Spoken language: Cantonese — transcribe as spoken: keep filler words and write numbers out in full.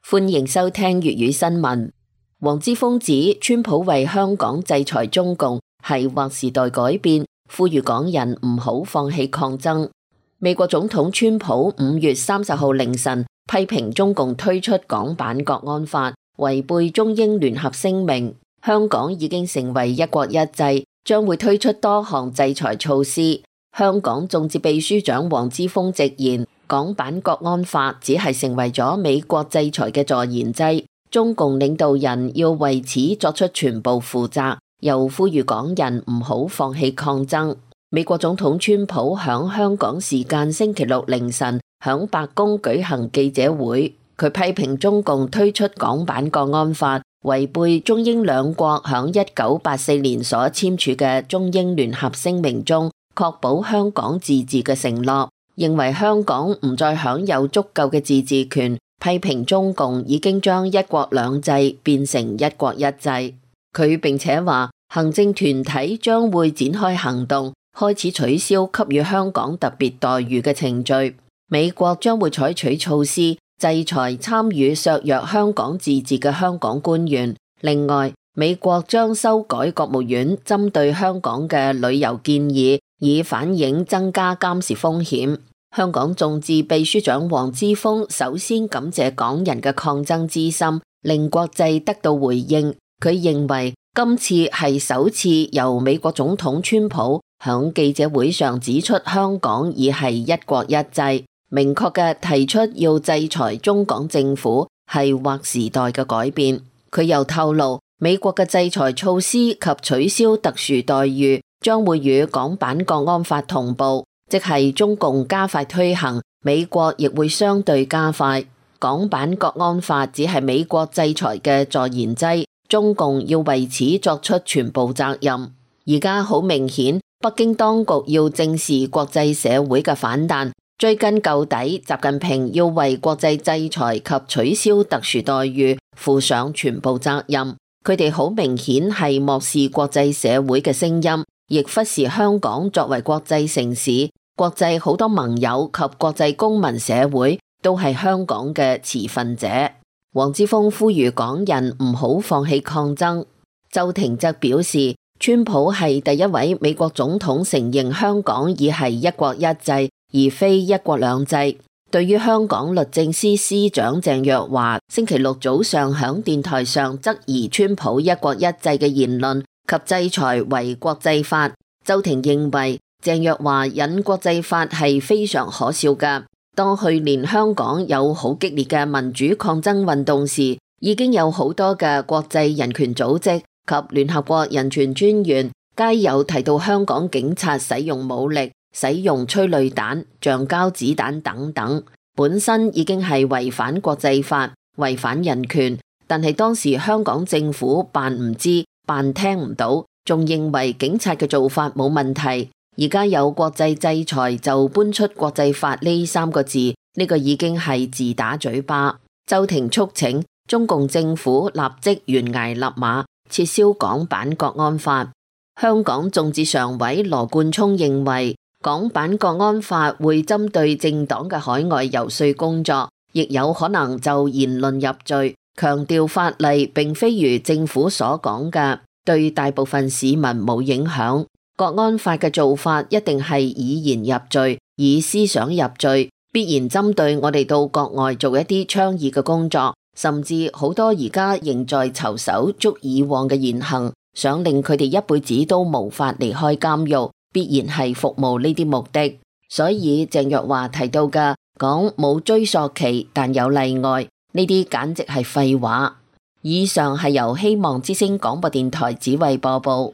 歡迎收聽粵語新聞。黃之鋒指川普為香港制裁中共係劃時代改變，呼籲港人唔好放棄抗爭。美國總統川普五月三十號凌晨批評中共推出港版國安法，違背中英聯合聲明。香港已經成為一國一制，將會推出多項制裁措施。香港眾志秘書長黃之鋒直言，港版國安法只係成為咗美國制裁嘅助燃劑，中共領導人要為此作出全部負責，又呼籲港人唔好放棄抗爭。美國總統川普響香港時間星期六凌晨響白宮舉行記者會，佢批評中共推出港版國安法，違背中英兩國響一九八四年所簽署嘅中英聯合聲明中確保香港自治嘅承諾，認為香港唔再享有足夠嘅自治權，批評中共已經將一國兩制變成一國一制。佢並且話，行政團體將會展開行動，開始取消給予香港特別待遇嘅程序。美國將會採取措施制裁參與削弱香港自治嘅香港官員。另外，美國將修改國務院針對香港嘅旅遊建議，以反映增加監視風險。香港眾志秘書長黃之鋒首先感謝港人嘅抗爭之心，令國際得到回應。佢認為今次係首次由美國總統川普響記者會上指出香港已係一國一制，明確嘅提出要制裁中港政府係劃時代嘅改變。佢又透露，美國嘅制裁措施及取消特殊待遇將會與港版國安法同步，即係中共加快推行，美國亦會相對加快。港版國安法只係美國制裁嘅助燃劑，中共要為此作出全部責任。而家好明顯，北京當局要正視國際社會嘅反彈，追根究底，習近平要為國際制裁及取消特殊待遇負上全部責任。佢哋好明顯係漠視國際社會嘅聲音，亦忽視香港作為國際城市，國際好多盟友及國際公民社會都係香港嘅持份者。黃之鋒呼籲港人唔好放棄抗爭。周庭則表示，川普係第一位美國總統承認香港已係一國一制，而非一國兩制。對於香港律政司司長鄭若驊星期六早上響電台上質疑川普一國一制嘅言論及制裁為國際法，周庭認為鄭若驊引國際法係非常可笑㗎。當去年香港有好激烈嘅民主抗爭運動時，已經有好多嘅國際人權組織及聯合國人權專員皆有提到香港警察使用武力、使用催淚彈、橡膠子彈等等，本身已經係違反國際法、違反人權，但係當時香港政府扮唔知、扮聽唔到，仲認為警察嘅做法冇問題。而家有國際制裁就搬出國際法呢三個字，呢個已經係自打嘴巴。周庭促請中共政府立即懸崖勒馬，撤銷港版國安法。香港眾志常委羅冠聰認為，港版國安法會針對政黨嘅海外游說工作，亦有可能就言論入罪，強調法例並非如政府所講嘅對大部分市民冇影響。國安法嘅做法一定係以言入罪，以思想入罪，必然針對我哋到國外做一啲倡議嘅工作，甚至好多而家仍在囚守足以往嘅言行，想令佢哋一輩子都無法離開監獄，必然係服務呢啲目的。所以鄭若驊提到嘅講冇追溯期但有例外，呢啲簡直係廢話。以上係由希望之聲廣播電台指揮播報。